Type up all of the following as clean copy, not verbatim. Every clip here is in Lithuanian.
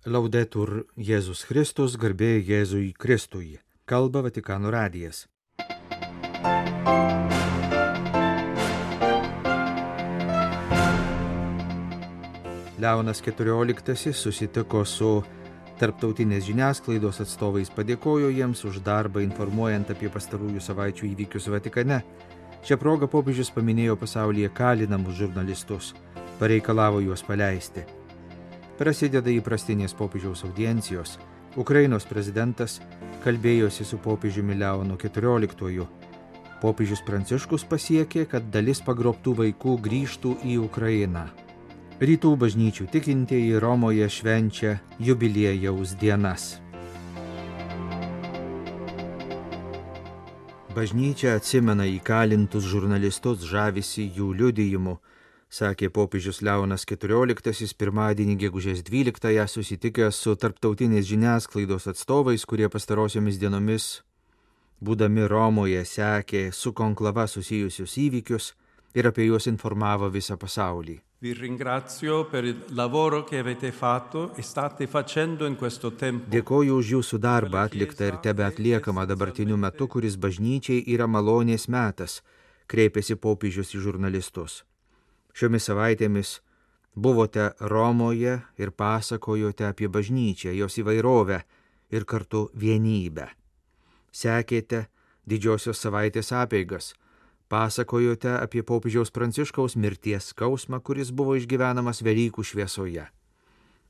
Laudetur Jėzus Kristus, garbė Jėzui Kristui. Kalba Vatikano radijas. Leonas XIV susitiko su tarptautinės žiniasklaidos atstovais, padėkojo jiems už darbą informuojant apie pastarųjų savaičių įvykius Vatikane. Šią progą popiežius paminėjo pasaulyje kalinamus žurnalistus, pareikalavo juos paleisti. Prasideda įprastinės popiežiaus audiencijos. Ukrainos prezidentas kalbėjosi su popiežiumi Leonu XIV. Popiežius Pranciškus pasiekė, kad dalis pagrobtų vaikų grįžtų į Ukrainą. Rytų bažnyčių tikintieji Romoje švenčia jubiliejaus dienas. Bažnyčia atsimena įkalintus žurnalistus, žavisi jų liudijimu, sakė popiežius Leonas XIV pirmadienį gegužės 12-ąją susitikęs su tarptautinės žiniasklaidos atstovais, kurie pastarosiomis dienomis, būdami Romoje, sekė su konklava susijusius įvykius ir apie juos informavo visą pasaulį. Vi ringrazio per il lavoro che avete fatto e state facendo in questo tempo. Dėkoju už jūsų darbą atliktą ir tebe atliekamą dabartiniu metu, kuris bažnyčiai yra malonės metas, kreipėsi popiežius į žurnalistus. Šiomis savaitėmis buvote Romoje ir pasakojote apie bažnyčią, jos įvairovę ir kartu vienybę. Sekėte didžiosios savaitės apeigas, pasakojote apie popiežiaus Pranciškaus mirties skausmą, kuris buvo išgyvenamas Velykų šviesoje.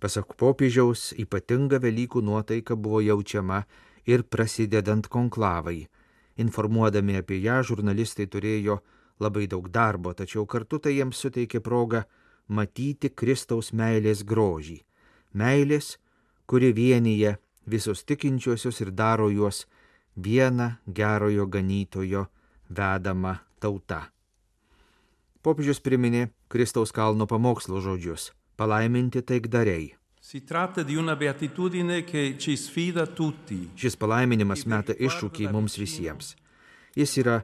Pasak popiežiaus, ypatinga Velykų nuotaika buvo jaučiama ir prasidedant konklavai. Informuodami apie ją, žurnalistai turėjo labai daug darbo, tačiau kartu tai jiems suteikė progą matyti Kristaus meilės grožį. Meilės, kuri vienyje visus tikinčiuosius ir daro juos viena gerojo ganytojo vedama tauta. Popiežius priminė Kristaus kalno pamokslo žodžius: palaiminti taikdariai. Si tratta di una beatitudine che ci sfida tutti. Šis palaiminimas meta iššūkį mums visiems. Jis yra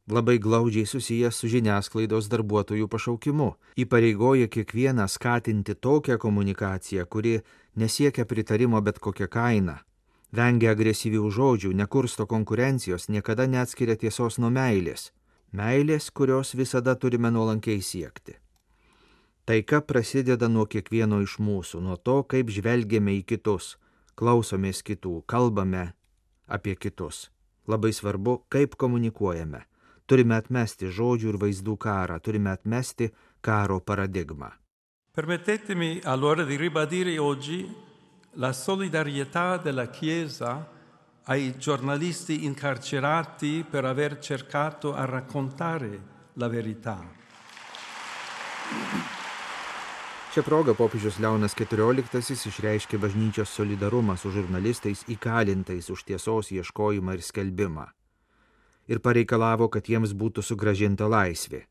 labai glaudžiai susijęs su žiniasklaidos darbuotojų pašaukimu, įpareigoja kiekvieną skatinti tokią komunikaciją, kuri nesiekia pritarimo bet kokią kainą, vengia agresyvių žodžių, nekursto konkurencijos, niekada neatskiria tiesos nuo meilės. Meilės, kurios visada turime nuolankiai siekti. Taika prasideda nuo kiekvieno iš mūsų, nuo to, kaip žvelgiame į kitus, klausomės kitų, kalbame apie kitus. Labai svarbu, kaip komunikuojame. Turime atmesti žodžių ir vaizdų karą, turime atmesti karo paradigmą. Permettetemi allora di ribadire oggi la solidarietà della Chiesa ai giornalisti incarcerati per aver cercato a raccontare la verità. Šią progą popiežius Leonas XIV išreiškė bažnyčios solidarumą su žurnalistais įkalintais už tiesos ieškojimą ir skelbimą ir pareikalavo, kad jiems būtų sugrąžinta laisvė.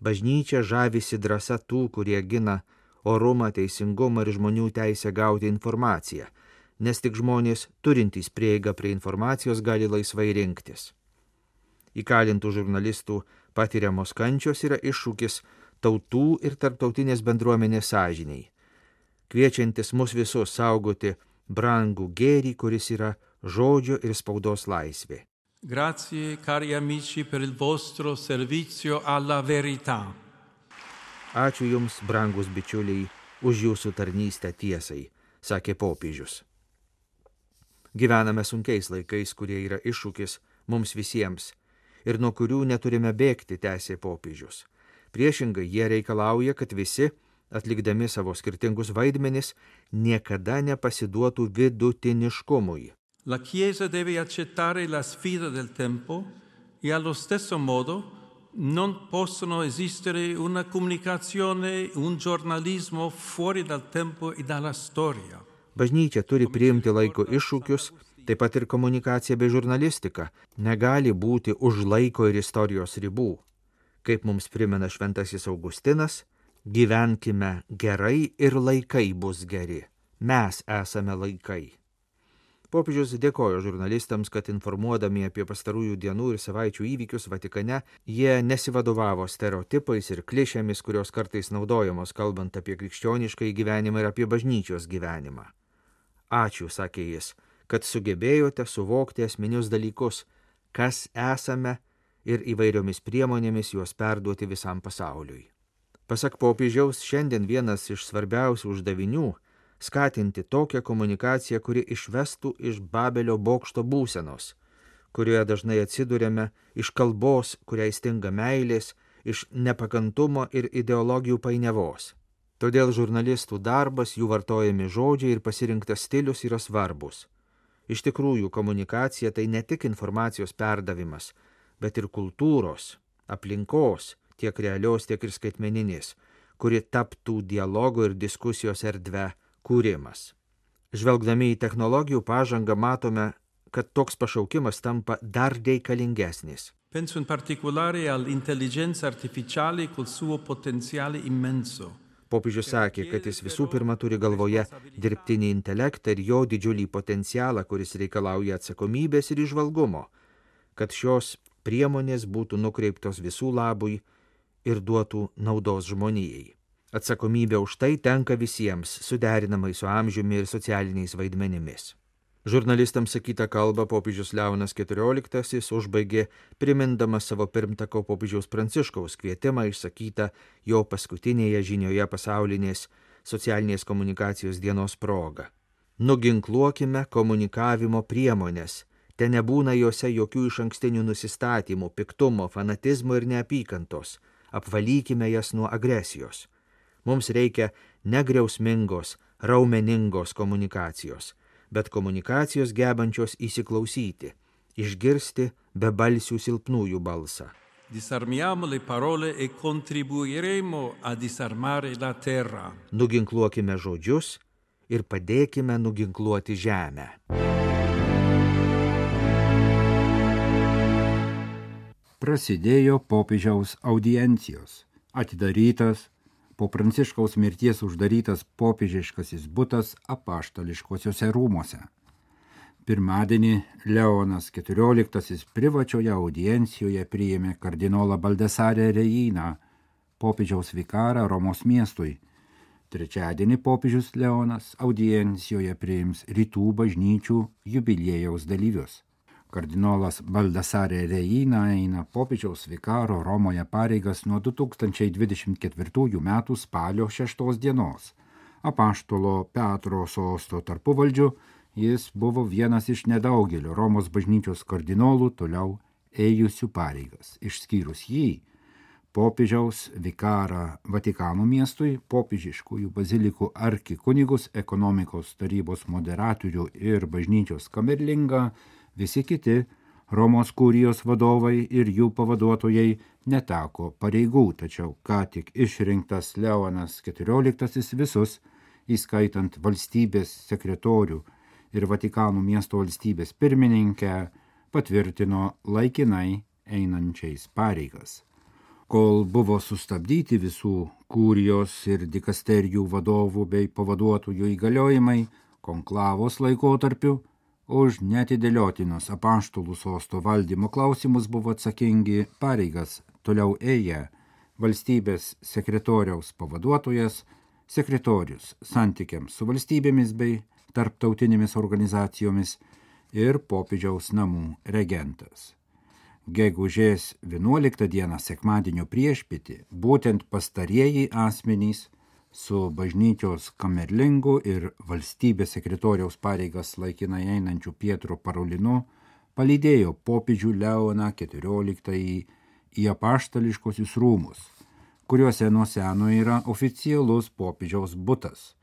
Bažnyčia žavisi drąsa tų, kurie gina orumą, teisingumą ir žmonių teisę gauti informaciją, nes tik žmonės turintys prieigą prie informacijos gali laisvai rinktis. Įkalintų žurnalistų patiriamos kančios yra iššūkis tautų ir tarptautinės bendruomenės sąžiniai, kviečiantis mus visus saugoti brangų gėrį, kuris yra žodžio ir spaudos laisvė. Grazie, cari amici, per il vostro servizio alla verità. Ačiū Jums, brangus bičiuliai, už Jūsų tarnystę tiesai, sakė popiežius. Gyvename sunkiais laikais, kurie yra iššūkis mums visiems ir nuo kurių neturime bėgti, tęsė popiežius. Priešingai, jie reikalauja, kad visi, atlikdami savo skirtingus vaidmenis, niekada nepasiduotų vidutiniškumui. La Chiesa deve accettare la sfida del tempo e allo stesso modo non possono esistere una comunicazione, un giornalismo fuori dal tempo e dalla storia. Bažnyčia turi priimti laiko iššūkius, taip pat ir komunikacija bei žurnalistika negali būti už laiko ir istorijos ribų. Kaip mums primena šventasis Augustinas, gyvenkime gerai ir laikai bus geri. Mes esame laikai. Popiežius dėkojo žurnalistams, kad informuodami apie pastarųjų dienų ir savaičių įvykius Vatikane, jie nesivadovavo stereotipais ir klišėmis, kurios kartais naudojamos kalbant apie krikščionišką gyvenimą ir apie bažnyčios gyvenimą. Ačiū, sakė jis, kad sugebėjote suvokti esminius dalykus, kas esame ir įvairiomis priemonėmis juos perduoti visam pasauliui. Pasak popiežiaus, šiandien vienas iš svarbiausių uždavinių skatinti tokią komunikaciją, kuri išvestų iš Babelio bokšto būsenos, kurioje dažnai atsiduriame, iš kalbos, kuriai stinga meilės, iš nepakantumo ir ideologijų painiavos. Todėl žurnalistų darbas, jų vartojami žodžiai ir pasirinktas stilius yra svarbus. Iš tikrųjų, komunikacija tai ne tik informacijos perdavimas, bet ir kultūros, aplinkos, tiek realios, tiek ir skaitmeninės, kuri taptų dialogo ir diskusijos erdve kūrimas. Žvelgdami į technologijų pažangą matome, kad toks pašaukimas tampa dar reikalingesnis. Penso in particolare all'intelligenza artificiale col suo potenziale immenso. Popiežius sakė, kad jis visų pirma turi galvoje dirbtinį intelektą ir jo didžiulį potencialą, kuris reikalauja atsakomybės ir įžvalgumo, kad šios priemonės būtų nukreiptos visų labui ir duotų naudos žmonijai. Atsakomybė už tai tenka visiems, suderinamai su amžiumi ir socialiniais vaidmenimis. Žurnalistams sakytą kalbą popiežius Leonas XIV užbaigė primindamas savo pirmtako popiežiaus Pranciškaus kvietimą išsakytą jo paskutinėje žinioje pasaulinės socialinės komunikacijos dienos proga. Nuginkluokime komunikavimo priemonės, te nebūna jose jokių išankstinių nusistatymų, piktumo, fanatizmo ir neapykantos, apvalykime jas nuo agresijos. Mums reikia negriausmingos, raumeningos komunikacijos, bet komunikacijos gebančios įsiklausyti, išgirsti bebalsių silpnųjų balsą. Disarmiamo le parole e contribuiremo a disarmare la terra. Nuginkluokime žodžius ir padėkime nuginkluoti žemę. Prasidėjo popiežiaus audiencijos. Atidarytas po Pranciškaus mirties uždarytas popiežiškasis butas apaštališkosiuose rūmuose. Pirmadienį Leonas XIV privačioje audiencijoje priėmė kardinolą Baldesarę Rejiną, popiežiaus vikarą Romos miestui. Trečiadienį popiežius Leonas audiencijoje priims rytų bažnyčių jubiliejaus dalyvius. Kardinolas Baldesarė Rejina eina popiežiaus vikaro Romoje pareigas nuo 2024 metų spalio 6 dienos. Apaštalo Petro sosto tarpuvaldžiu jis buvo vienas iš nedaugelio Romos bažnyčios kardinolų toliau ėjusių pareigas. Išskyrus jį, popiežiaus vikarą Vatikano miestui, popiežiškųjų bazilikų arkikunigus, ekonomikos tarybos moderatorių ir bažnyčios kamerlingą, visi kiti Romos kurijos vadovai ir jų pavaduotojai neteko pareigų, tačiau ką tik išrinktas Leonas XIV visus, įskaitant valstybės sekretorių ir Vatikano miesto valstybės pirmininkę, patvirtino laikinai einančiais pareigas. Kol buvo sustabdyti visų kurijos ir dikasterijų vadovų bei pavaduotojų įgaliojimai, konklavos laikotarpiu, už neatidėliotinus apaštalų sosto valdymo klausimus buvo atsakingi pareigas toliau ėję valstybės sekretoriaus pavaduotojas, sekretorius santykiams su valstybėmis bei tarptautinėmis organizacijomis ir popiežiaus namų regentas. Gegužės 11 dieną sekmadienio priešpietį būtent pastarieji asmenys su bažnyčios kamerlingu ir valstybės sekretoriaus pareigas laikinai einančiu Pietro Parolinu palydėjo popiežių Leoną XIV į apaštališkosius rūmus, kuriuose nuo seno yra oficialus popiežiaus butas.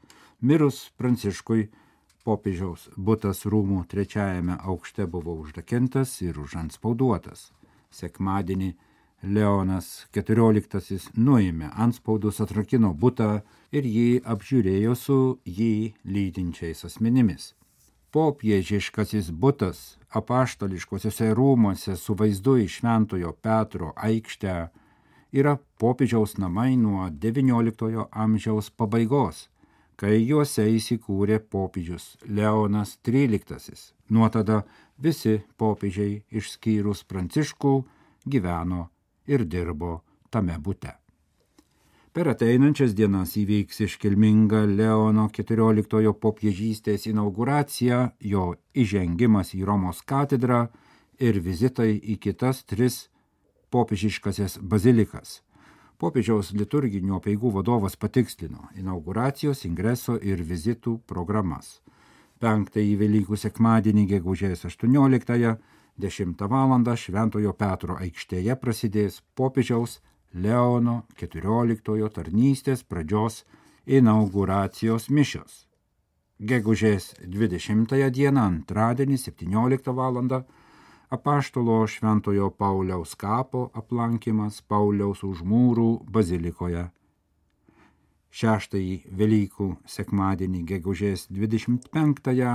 Mirus Pranciškui, popiežiaus butas rūmų 3 aukšte buvo užrakintas ir užantspauduotas. Sekmadienį Leonas XIV nuėmė antspaudus, atrakino butą ir jį apžiūrėjo su jį lydinčiais asmenimis. Popiežiškasis butas apaštališkosiuose rūmuose su vaizdu į Šventojo Petro aikštę yra popiežiaus namai nuo XIX amžiaus pabaigos, kai juose įsikūrė popiežius Leonas XIII. Nuo tada visi popiežiai išskyrus Pranciškų gyveno ir dirbo tame bute. Per ateinančias dienas įvyks iškilminga Leono XIV popiežystės inauguracija, jo įžengimas į Romos katedrą ir vizitai į kitas 3 popiežiškasias bazilikas. Popiežiaus liturginių apeigų vadovas patikslino inauguracijos, ingreso ir vizitų programas. 5-ąjį Velykų sekmadienį gegužės 18-ąją 10 val. Šventojo Petro aikštėje prasidės popiežiaus Leono XIV tarnystės pradžios inauguracijos mišios. Gegužės 20 dieną antradienį 17 val. Apaštalo Šventojo Pauliaus kapo aplankymas Pauliaus Užmūrų bazilikoje. 6-ąjį Velykų sekmadienį gegužės 25-ąją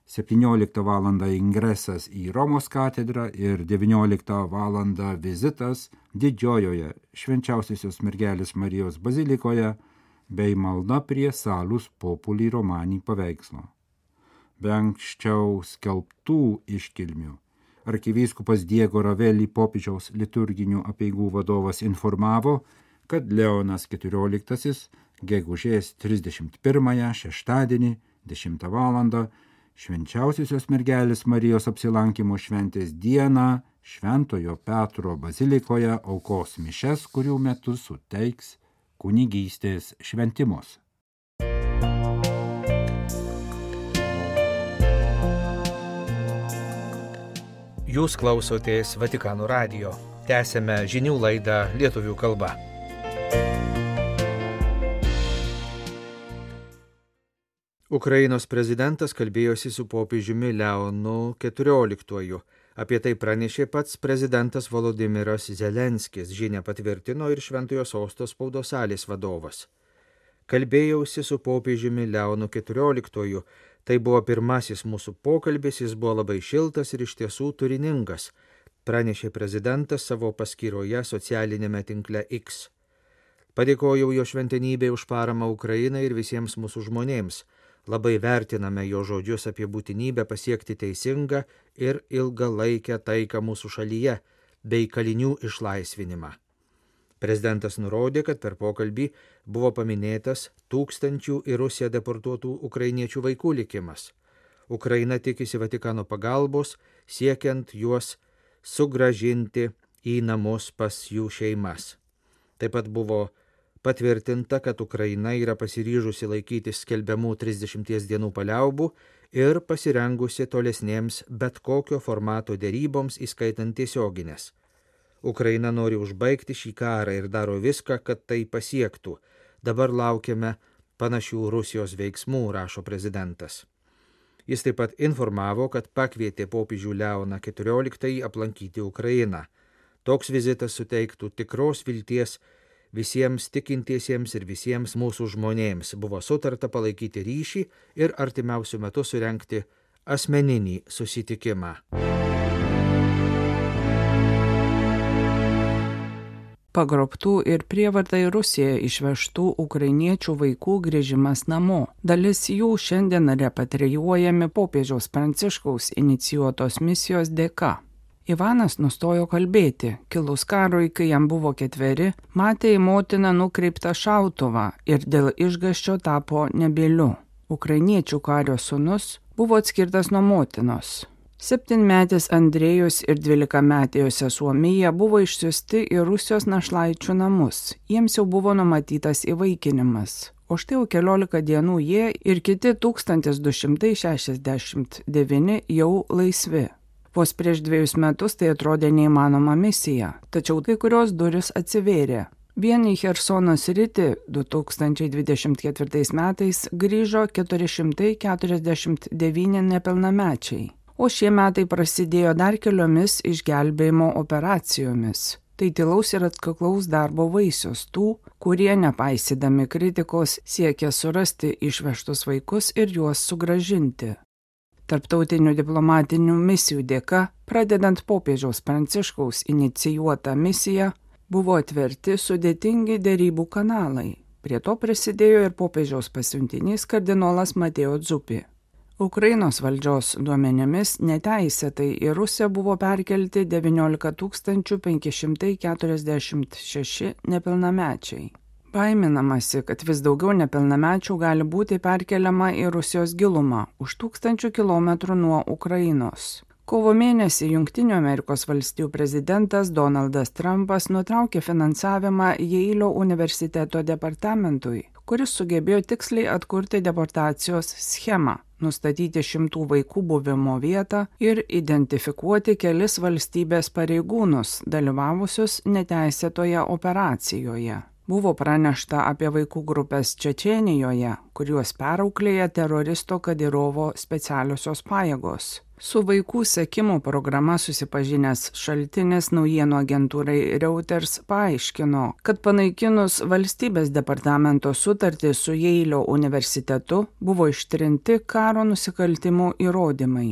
17 val. Ingresas į Romos katedrą ir 19 val. Vizitas Didžiojoje Švenčiausiosios mergelės Marijos bazilikoje bei malda prie Salus Populi Romani paveikslo. Be anksčiau skelbtų iškilmių arkivyskupas Diego Ravelli popiežiaus liturginių apeigų vadovas informavo, kad Leonas XIV gegužės 31 šeštadienį 10 val. Švenčiausiosios mergelės Marijos apsilankymo šventės dieną Šventojo Petro bazilikoje aukos mišias, kurių metu suteiks kunigystės šventimus. Jūs klausotės Vatikano radijo. Tęsiame žinių laidą lietuvių kalba. Ukrainos prezidentas kalbėjosi su popiežiumi Leonu XIV. Apie tai pranešė pats prezidentas Volodymyras Zelenskis, žinią patvirtino ir Šventojo Sosto spaudos salės vadovas. Kalbėjausi su popiežiumi Leonu XIV. Tai buvo pirmasis mūsų pokalbis, jis buvo labai šiltas ir iš tiesų turiningas, pranešė prezidentas savo paskyroje socialinėme tinkle X. Padėkojau jo šventenybei už paramą Ukrainai ir visiems mūsų žmonėms. Labai vertiname jo žodžius apie būtinybę pasiekti teisingą ir ilgalaikę taiką mūsų šalyje bei kalinių išlaisvinimą. Prezidentas nurodė, kad per pokalbį buvo paminėtas 1000 į Rusiją deportuotų ukrainiečių vaikų likimas. Ukraina tikisi Vatikano pagalbos, siekiant juos sugrąžinti į namus pas jų šeimas. Taip pat buvo patvirtinta, kad Ukraina yra pasiryžusi laikytis skelbiamų 30 dienų paliaubų ir pasirengusi tolesnėms bet kokio formato deryboms, įskaitant tiesioginės. Ukraina nori užbaigti šį karą ir daro viską, kad tai pasiektų. Dabar laukiame panašių Rusijos veiksmų, rašo prezidentas. Jis taip pat informavo, kad pakvietė popiežių Leoną XIV aplankyti Ukrainą. Toks vizitas suteiktų tikros vilties visiems tikintiesiems ir visiems mūsų žmonėms. Buvo sutarta palaikyti ryšį ir artimiausiu metu surengti asmeninį susitikimą. Pagrobtų ir prievarta į Rusiją išvežtų ukrainiečių vaikų grįžimas namo. Dalis jų šiandien repatrijuojami popiežiaus Pranciškaus inicijuotos misijos dėka. Ivanas nustojo kalbėti. Kilus karui, kai jam buvo 4, matė į motiną nukreiptą šautuvą ir dėl išgąsčio tapo nebyliu. Ukrainiečių kario sūnus buvo atskirtas nuo motinos. 7-metis Andrėjus ir 12-metė jo sesuo Mija buvo išsiųsti į Rusijos našlaičių namus. Jiems jau buvo numatytas įvaikinimas. O štai jau 14 dienų jie ir kiti 1269 jau laisvi. Vos prieš 2 metus tai atrodė neįmanoma misija, tačiau kai kurios duris atsivėrė. Vien į Chersono sritį 2024 metais grįžo 449 nepilnamečiai, o šie metai prasidėjo dar keliomis išgelbėjimo operacijomis. Tai tylaus ir atkaklaus darbo vaisius tų, kurie nepaisydami kritikos siekia surasti išvežtus vaikus ir juos sugrąžinti. Tarptautinių diplomatinių misijų dėka, pradedant popiežiaus Pranciškaus inicijuotą misiją, buvo atverti sudėtingi derybų kanalai. Prie to prisidėjo ir popiežiaus pasiuntinys kardinolas Mateo Zuppi. Ukrainos valdžios duomenimis neteisėtai į Rusiją buvo perkelti 19 546 nepilnamečiai. Baiminamasi, kad vis daugiau nepilnamečių gali būti perkeliama į Rusijos gilumą už 1000 kilometrų nuo Ukrainos. Kovo mėnesį Jungtinių Amerikos valstijų prezidentas Donaldas Trumpas nutraukė finansavimą Jeilio universiteto departamentui, kuris sugebėjo tiksliai atkurti deportacijos schemą, nustatyti 100 vaikų buvimo vietą ir identifikuoti kelis valstybės pareigūnus, dalyvavusius neteisėtoje operacijoje. Buvo pranešta apie vaikų grupės Čečėnijoje, kuriuos perauklėja teroristo Kadyrovo specialiosios pajėgos. Su vaikų sekimo programa susipažinęs šaltinis naujienų agentūrai Reuters paaiškino, kad panaikinus valstybės departamento sutartį su Jeilio universitetu buvo ištrinti karo nusikaltimų įrodymai.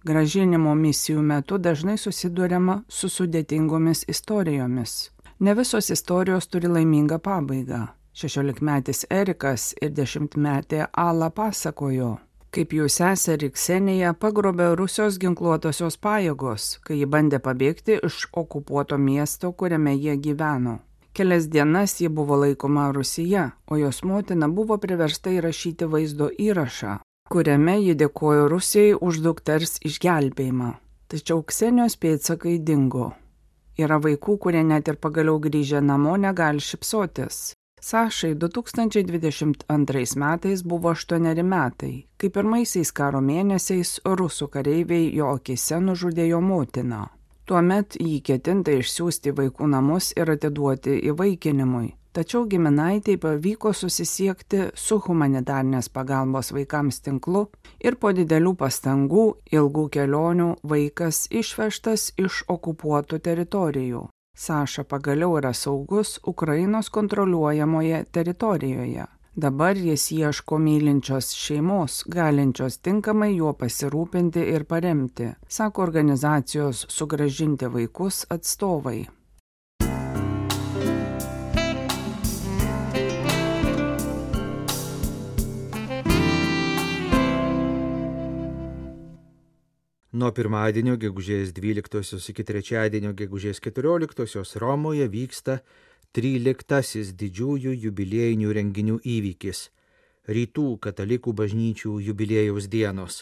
Gražinimo misijų metu dažnai susiduriama su sudėtingomis istorijomis. Ne visos istorijos turi laimingą pabaigą. 16-metis Erikas ir 10-metė Ala pasakojo, kaip jų seserį Kseniją pagrobė Rusijos ginkluotosios pajėgos, kai ji bandė pabėgti iš okupuoto miesto, kuriame jie gyveno. Kelias dienas ji buvo laikoma Rusija, o jos motina buvo priversta įrašyti vaizdo įrašą, kuriame ji dėkojo Rusijai už dukters išgelbėjimą. Tačiau Ksenijos pėdsakai dingo. Yra vaikų, kurie net ir pagaliau grįžę namo negali šypsotis. Sašai 2022 metais buvo 8 metai, kai pirmaisiais karo mėnesiais rusų kareiviai jo akise nužudė jo motiną. Tuomet jį ketinta išsiųsti į vaikų namus ir atiduoti įvaikinimui. Tačiau giminaitei pavyko susisiekti su humanitarnės pagalbos vaikams tinklu ir po didelių pastangų, ilgų kelionių vaikas išvežtas iš okupuotų teritorijų. Saša pagaliau yra saugus Ukrainos kontroliuojamoje teritorijoje. Dabar jis ieško mylinčios šeimos, galinčios tinkamai juo pasirūpinti ir paremti, sako organizacijos Sugrąžinti vaikus atstovai. Nuo pirmadienio gegužės 12 iki trečiadienio gegužės 14 Romoje vyksta 13 didžiųjų jubiliejinių renginių įvykis – Rytų katalikų bažnyčių jubiliejaus dienos.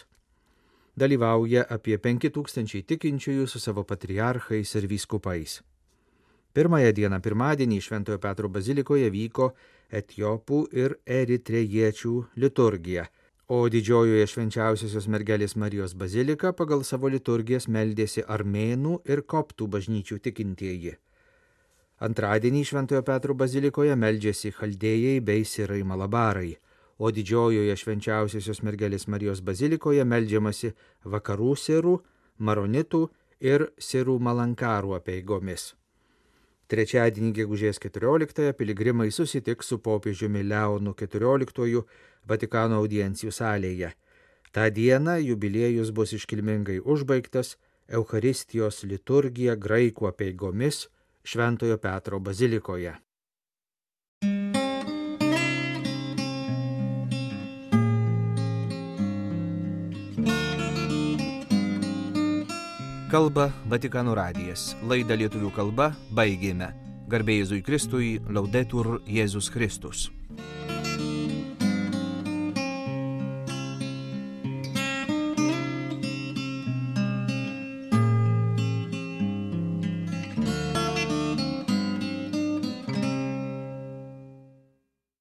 Dalyvauja apie 5000 tikinčiųjų su savo patriarchais ir vyskupais. Pirmąją dieną pirmadienį Šventojo Petro bazilikoje vyko etiopų ir eritrejiečių liturgija, o didžiojoje Švenčiausiosios mergelės Marijos bazilika pagal savo liturgijas meldėsi armėnų ir koptų bažnyčių tikintieji. Antradienį Šventojo Petro bazilikoje meldžiasi chaldėjai bei sirai malabarai, o didžiojoje Švenčiausiosios mergelės Marijos bazilikoje meldžiamasi vakarų sirų, maronitų ir sirų malankarų apeigomis. Trečiadienį gegužės 14 piligrimai susitiks su popiežiumi Leonu XIV Vatikano audiencijų salėje. Ta diena jubiliejus bus iškilmingai užbaigtas Eucharistijos liturgija graikų apeigomis Šventojo Petro bazilikoje. Kalba Vatikano radijas. Laidą lietuvių kalba baigėme. Garbė Jėzui Kristui, Laudetur Jėzus Kristus.